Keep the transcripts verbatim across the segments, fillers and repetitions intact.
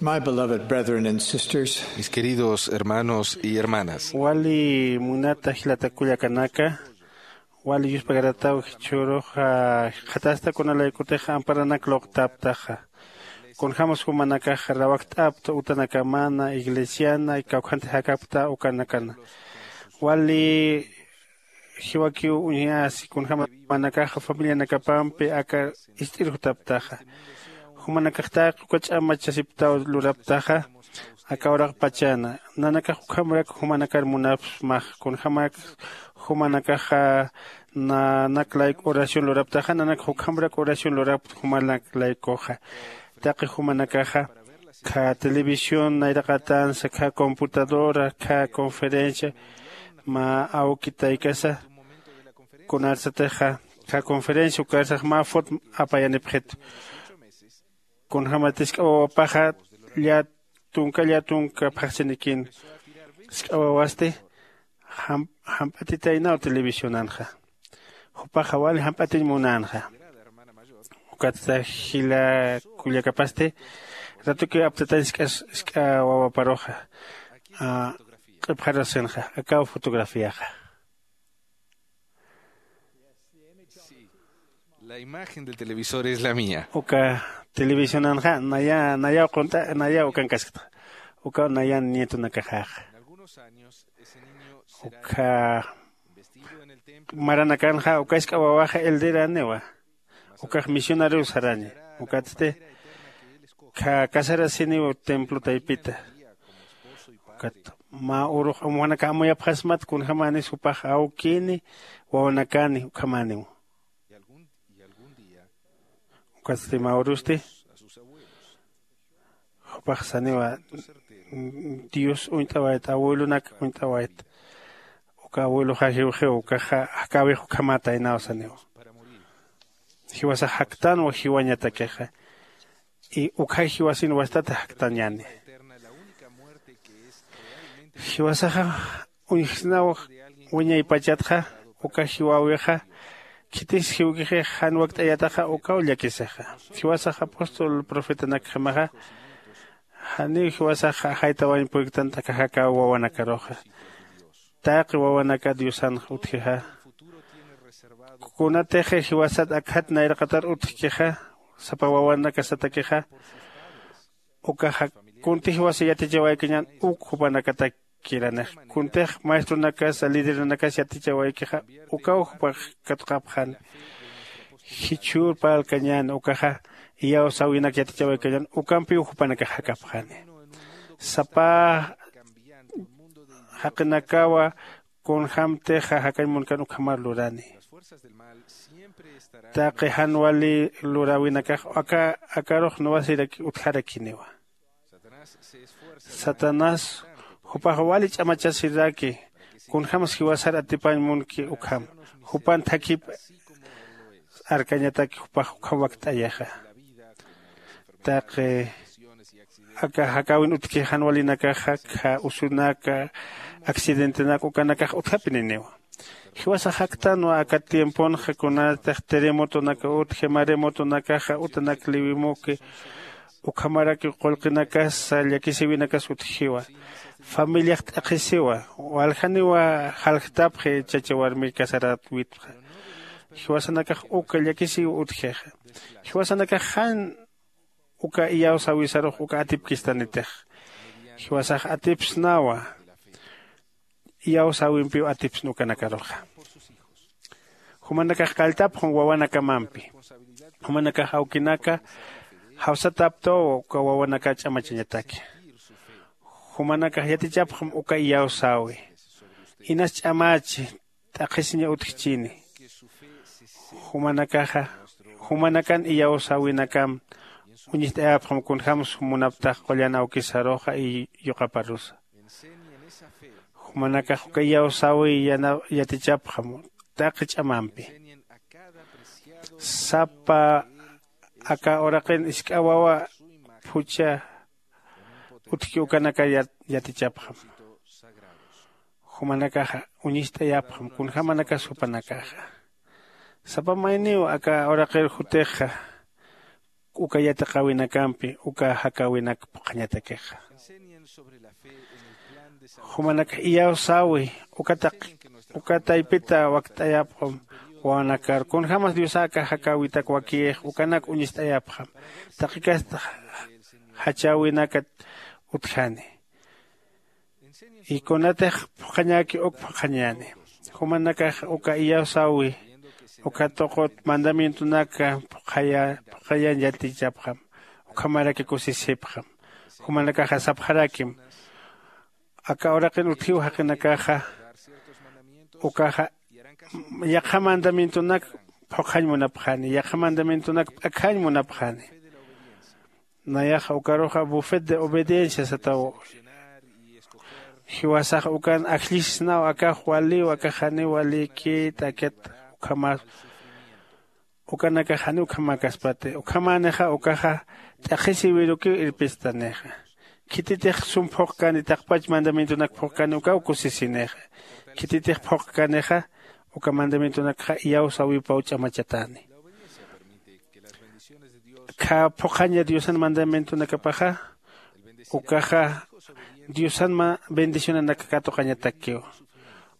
My beloved brethren and sisters, mis queridos hermanos y hermanas, wali munata jilata kullakanaka, wali yuspagaratäw jichhürux jikxatasta kunalaykutix amparanak luqtaptaxa. Kunjämas jumanakax rawajt'apta utanakamana, iglesiana, kawkhantix jakapkta ukanakana. Wali jiwakiw uñjasi kunjämas jumanakaxa familianakapampi aka ist'ir jutaptaxa. Jumanakax taqi uka ch'amachasipktaw lurapktaxa aka uraqpachana. Nanakax ukhamrak jumanakar munapxsmaxa, kunjämak jumanakaxa nanak layku oración lurapktaxa, nanakax ukhamrak oración lurapkta jumanak laykuxa. Taqi jumanakaxa kha televisión nayraqatansa, kha computadora, kha conferencia mä awki taykasa, kunarsatixa kha conferencia ukarsax mä fot apayanipxitu. Kunjämat jisk'a wawapaxa llätunka llätunka phaxsinikïn, jisk'a wawasti jam- jamp'atitaynaw televisionanxa. Jupaxa wali jamp'atiñ munänxa. Ukatsa jila kullakapasti ratukiw aptatañ jisk'a wawaparuxa q'ipxarasinxa. Akaw fotografiaxa. La imagen del televisor es la mía. Uka televisionanxa naya nayaw qunt'a, nayaw ukankaskta. Ukaw nayan nietonakaxaxa. Ukha maranakanxa uka jisk'a wawaxa elderaniwa. Ukax misionariw saraña. Ukatsti kha casarasiniw templo taypita. Ukat mä urux amwanaka amuyapxasmat kunjämanis jupax awkini wawanakani ukhamäniw. Ukatsti mä urusti jupax saniwa, dios uñt'awayt abuelonak uñt'awayt. Uka abueloxa jiwxiw ukaxa jakäwix ukhamätaynaw saniwa. Jiwasax jaktanwa jiwañatakixa. Y ukxay jiwasin wastat jaktañäni. Jiwasaxa uñjsnaw wiñaypachatxa uka jiwäwixa khitis jiwkixix jan wakt'ayataxa ukaw llakisixa. Jiwasax apóstol profetanakjamaxa janiw jiwasax ajaytawañ puyktan t'akaxakaw wawanakaruxa. Taqi wawanaka diosanx utjixa. Kunatix jiwasat akjat nayraqatar utjkixa sapa wawanakasatakixa. Ukaxa kunti jiwasa yatichawaykañän uk jupanakatakkiranix kuntix maestronakasa lideranakas yatichawaykixa ukaw jupax katuqapxani. Jichhür parlkañäni ukaxa iyawsäwinak yatichawaykañän ukampiw jupanakax jakapxani. Sapa jaqinakawa kunjämtixa jakañ munkan ukhamar lurani. Taqi jan wali luräwinakax aka akarux nuwasiraki utjarakiniwa. Satanás jupax wali ch'amachasiraki kunjämas jiwasar atipañ munki ukham jupan thakhip arkañataki jupax ukham wakt'ayixa. Taqi aka jakäwin utjki jan walinakaxa kha usunaka accidentenak ukanakax utjapininiwa. Jiwasax jaktanwa aka tiemponxa kunatix terremotonaka utji maremotonakaxa utanak liwimuki ukhamaraki qullqinakasa llakisïwinakas utjiwa. Familiax t'aqhisiwa. Waljaniwa jaljtapxi chacha warmi casaräwitxa. Jiwasanakax uka llakisïw utjixa. Jiwasanakax jan uka iyawsäwisarux uka atipkistanitix. Jiwasax atipsnawa iyawsäwimpiw atipsna ukanakaruxa. Jumanakax qalltapxam wawanakamampi. Jumanakax awkinaka jawsataptaw uka wawanaka ch'amachañataki. Jumanakax yatichapxam uka iyawsäwi. Inas ch'amachi t'aqhisiña utjchini. Jumanakaxa jumanakan iyawsäwinakam uñist'ayapxam kunjämsa munaptax qullan awkisaruxa y yuqaparusa. Jumanakax uka iyawsäwi yatichapxam taqi ch'amampi. Sapa aka uraqin isk'a wawa phuchha utjki ukanaka yatichapxam. Jumanakaxa uñist'ayapxam kunjämanakas jupanakaxa. Sapa mayniw aka uraqir jutixa uka yatiqäwinakampi uka jakäwinak phuqhañatakixa. Jumanakax iyawsäwi uka taq uka taypita wakt'ayapxam. Wawanakar kunjämas diosäka jakäwitak wakiyix ukanak uñist'ayapxam. Taqi kasta jachäwinakat utjani. Y kunatix phuqhañäki uk phuqhañäni. Jumanakax uka iyawsäwi uka tuqut mandamientonaka phuqhaya phuqhayañ yatichapxam. Ukhamaraki kusisipxam. Jumanakaxa sapxarakim aka uraqin utjiw jaqinakaxa ukaxa yaqha mandamientonak phuqhañ munapxani yaqha mandamientonak p'akhañ munapxani. Nayaxa ukaruxa bufet de obediencia sataw. Jiwasax ukan ajllisisnaw akax waliw akax janiw walïkït akat ukhamas ukanakax janiw ukhamäkaspati ukhamänixa ukaxa t'aqhisïwirukiw irpistanixa. Khititix sum phuqkani taqpach mandamientonak phuqkani ukaw kusisinixa. Khititix phuqkanixa uka mandamientonakxa iyawsäwipaw ch'amachatäni. Kha phuqhaña diosan mandamientonakapaxa ukaxa diosan bendicionanak katuqañatakiw.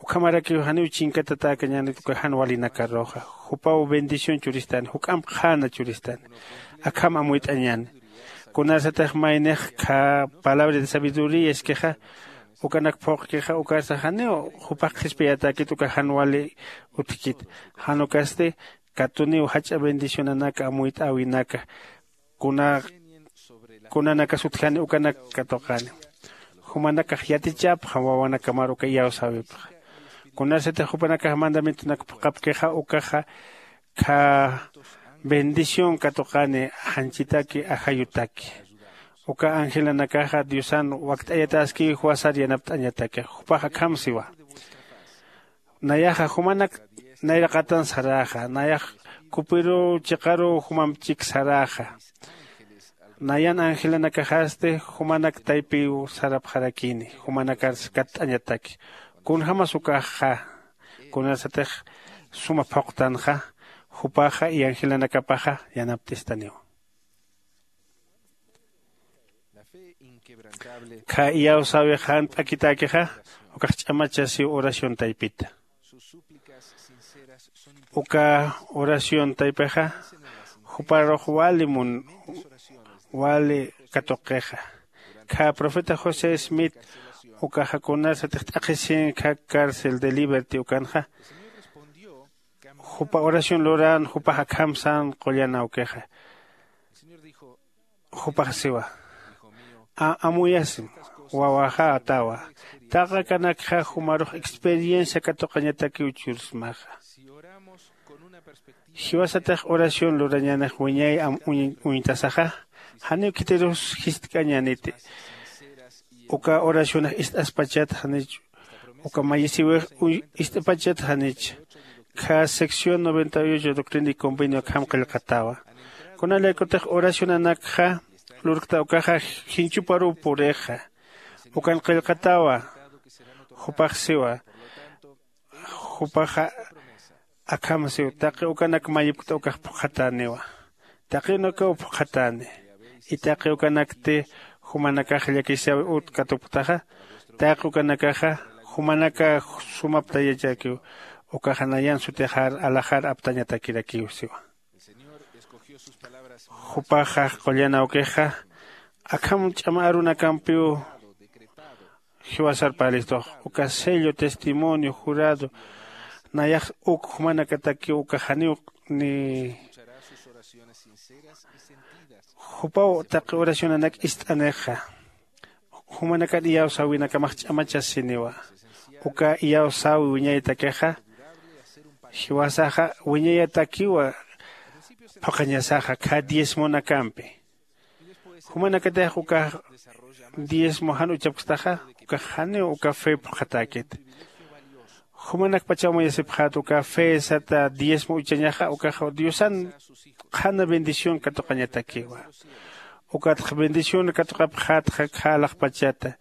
Ukhamarakiw janiw chinkatatäkañänit uka jan walinakaruxa. Jupaw bendición churistani juk'amp qhäna churistani. Akham amuyt'añäni. Kunasatix maynix kha palabra de sabiduría iskixa ukanak phuqkixa ukarsa janiw jupax qhispiyatäkit uka jan wali utjkit. Jan ukasti katuniw jach'a bendicionanaka amuyt'äwinaka kuna kunanakas utjani ukanak katuqani. Jumanakax yatichapxam wawanakamar uka iyawsäwipxa. Kunasatix jupanakax mandamientonak phuqhapkixa ukaxa kha bendición katuqani janchitaki ajayutaki. Uka angelanakaxa diosan wakt'ayatäskiw jiwasar yanapt'añataki jupax akham siwa. Nayaxa jumanak nayraqatan saräxa nayax kupiruw chiqaruw jumamp chik saräxa. Nayan angelanakaxasti jumanak taypiw sarapxarakini jumanakar katt'añataki. Kunjämas ukaxxa kunasatix suma phuqtanxa jupaxa y angelanakapaxa yanapt'istaniw. Kha iyawsäwix jan p'akitäkixa ukax ch'amachasiw oración taypita. Uka oración taypixa juparux wali mun wali katuqixa. Kha profeta josé smith ukaxa kunasatix t'aqhisin kha cárcel de liberty ukanxa jupa oración luran jupax akham sän qullan awkixa. Jupax siwa, amuyasim wawaxa atawa. Taqi akanakxa jumarux experiencia katuqañatakiw chursmaxa. Jiwasatix oración lurañänix wiñay uñtasaxa janiw khitirus jistk'añäniti. Uka oracionax ist'aspachat janich uka mayisiwix ist'apachat janich. Kha sección noventa y ocho doctrina y convenio akham qillqatawa. Kunalaykutix oracionanakxa lurkta ukaxa jinchuparuw purixa. Ukan qillqatawa. Jupax siwa jupaxa akham siw taqi ukanak mayipkta ukax phuqhatäniwa. Taqi unakiw phuqhatäni. Itaqi ukanakti jumanakax llakisyawi ut katupktaxa taqi ukanakaxa jumanaka sumaptayachakiw. Ukaxa nayan sutixar alaxar aptañatakirakiw siwa. Jupaxa qullan awkixa akham ch'ama arunakampiw jiwasar parlistux uka sello testimonio jurado nayax uk jumanakatakiw uka janiw ni jupaw taqi oracionanak ist'anixa. Jumanakan iyawsäwinakamax ch'amachasiniwa. Uka iyawsäwi wiñaytakixa jiwasaxa wiñayatakiwa. Phuqhañasaxa kha diezmonakampi jumanakatix ukax diezmo jan uchapkstaxa ukax janiw uka fe phuqhatäkit. Jumanakpachaw amuyasipxät uka fe sata diezmo uchañaxa ukax diosan qhana bendición katuqañatakiwa. Ukatx bendición katuqapxätxa kha alaxpachata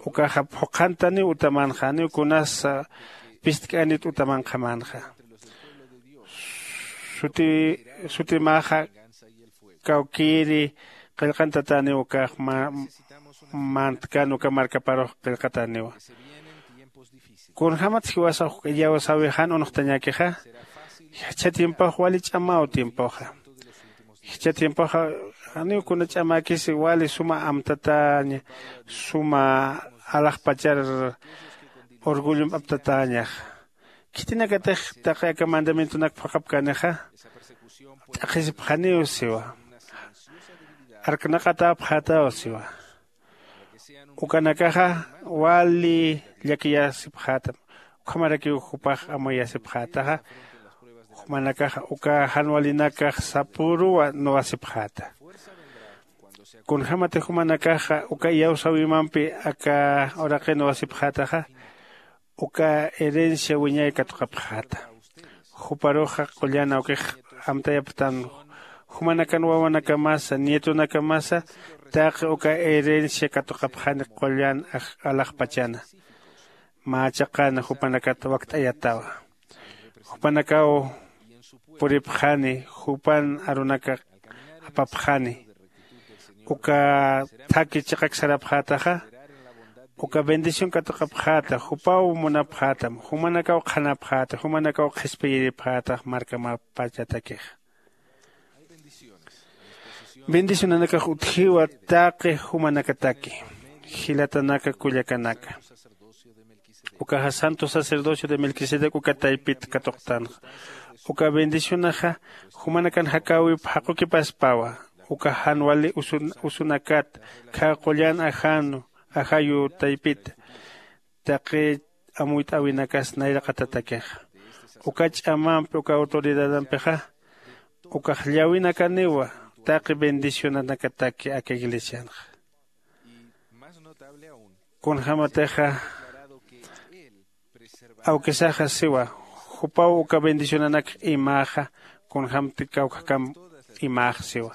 ukaxa phuqhantaniw utamanxa janiw kunasa pistk'anit utamanqhamanxa. Suti sutimäxa kawkïri qillqantatäniw ukax ma- mantkan uka markaparux qillqatäniwa. Kunjämat jiwasax uk iyawsäwixan unuxtañäkixa, jichha tiempox wali ch'amaw tiempoxa. Jichha tiempoxa janiw kuna ch'amäkisi, wali suma amtatäña, suma alaxpachar orgullomp aptatäñaxa. Khitinakatix taqi aka mandamientonak phuqhapkänixa t'aqhisipxaniw siwa. Arknaqatäpxätaw siwa. Ukanakaxa wali llakiyasipxätam. Ukhamarakiw jupax amuyasipxätaxa. Jumanakaxa uka jan walinakax sapüruw nuwasipxäta. Kunjämatix jumanakaxa uka iyawsäwimampi aka uraqi nuwasipxätaxa, uka herencia wiñay katuqapxäta. Juparuxa qullan awkix amtayapxtan, jumanakan wawanakamasa, nietonakamasa taqi uka herencia katuqapxani qullan aj- alaxpachana. Mä chiqan jupanakat wakt'ayatawa. Jupanakaw puripxani, jupan arunaka apapxani. Uka thaki chiqak sarapxätaxa, uka bendición katuqapxäta, jupaw munapxätam, jumanakaw qhanapxäta, jumanakaw qhispiyiripxätax markamapachatakixa. Bendicionanakax utjiwa taqi jumanakataki, jilatanaka kullakanaka. Ukaxa santo sacerdocio de Melquisedec uka taypit katuqtanxa. Uka bendicionaxa jumanakan jakäwip jaqukipaspawa. Uka jan wali usun- usunakat khä qullan ajanu ajayu taypita, taqi amuyt'äwinakas nayraqatatakixa. Uka ch'amampi uka autoridadampixa ukax llawinakaniwa taqi bendicionanakataki aka iglesianxa. Kunjämatixa awkisaxa siwa, jupaw uka bendicionanak imäxa, kunjämti kawkhakamp imäx siwa.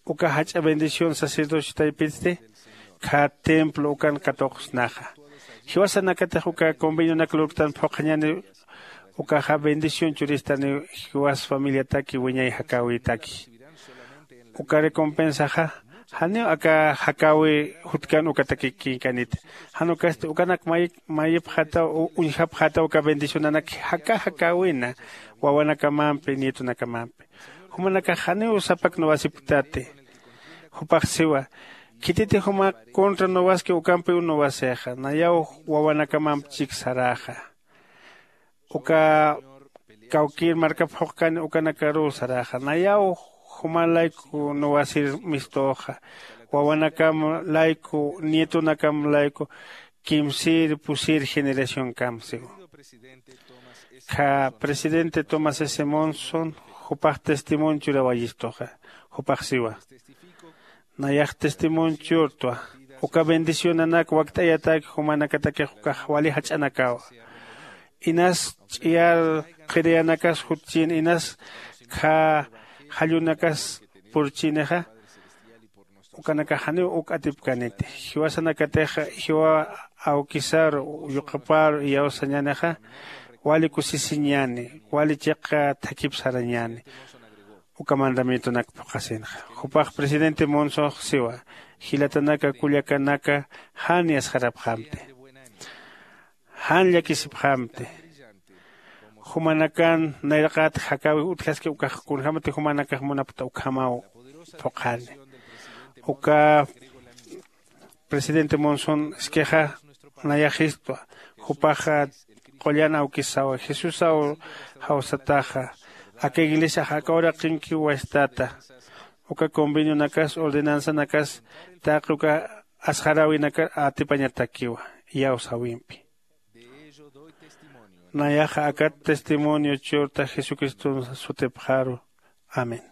Uka jach'a bendición sacerdocio taypitsti khä templo ukan katuqsnaxa. Jiwasanakatix uka convenionak lurktan phuqhañäni, ukaxa bendición churistaniw jiwas familiataki wiñay jakäwitaki. Uka recompensaxa janiw aka jakäwi jutkan ukataki kinkaniti. Jan ukasti ukanak may- mayipxätaw u- uñjapxätaw uka bendicionanak jaka jakäwina wawanakamampi, nietonakamampi. Jumanakax janiw sapak nuwasipktati. Jupax siwa, khititix jumax contra nuwaski ukampiw nuwasixa, nayaw wawanakamamp chik saräxa. Uka kawkïr markap phuqkani ukanakaruw saräxa, nayaw juma layku nuwasir mistuxa, wawanakam layku, nietonakam layku, kimsïr pusïr generacionkam siwa. Khä presidente Thomas S. Monson jupax testimonio churawayistuxa. Jupax siwa, nayax testimonio churtwa uka bendicionanak wakt'ayatak jumanakatakix ukax wali jach'anakawa. Inas ch'iyar qhiriyanakas jutchïn, inas khä jallunakas purchïnixa, ukanakax janiw uk atipkäniti. Jiwasanakatix jiwa awkisar, yuqapar iyawsañänixa wali kusisiñäni, wali chiqa thakip sarañäni uka mandamientonak phuqhasinxa. Jupax presidente Monsox siwa, jilatanaka kullakanaka, jan yasxarapxamti, jan llakisipxamti. Jumanakan nayraqat jakäwi utjaski ukax kunjämati jumanakax munapkta ukhamaw phuqhani. Uka presidente Monson iskixa nayaxistwa, jupaxa qullan awkisawa, Jesusaw jawsataxa, aka iglesiax aka uraqinkiw wastata, uka convenionakas, ordenanzanakas taqi uka asxaräwinakar atipañatakiwa iyawsäwimpi. Nayaxa akat testimonio churta Jesucriston sutipxaru. Amén.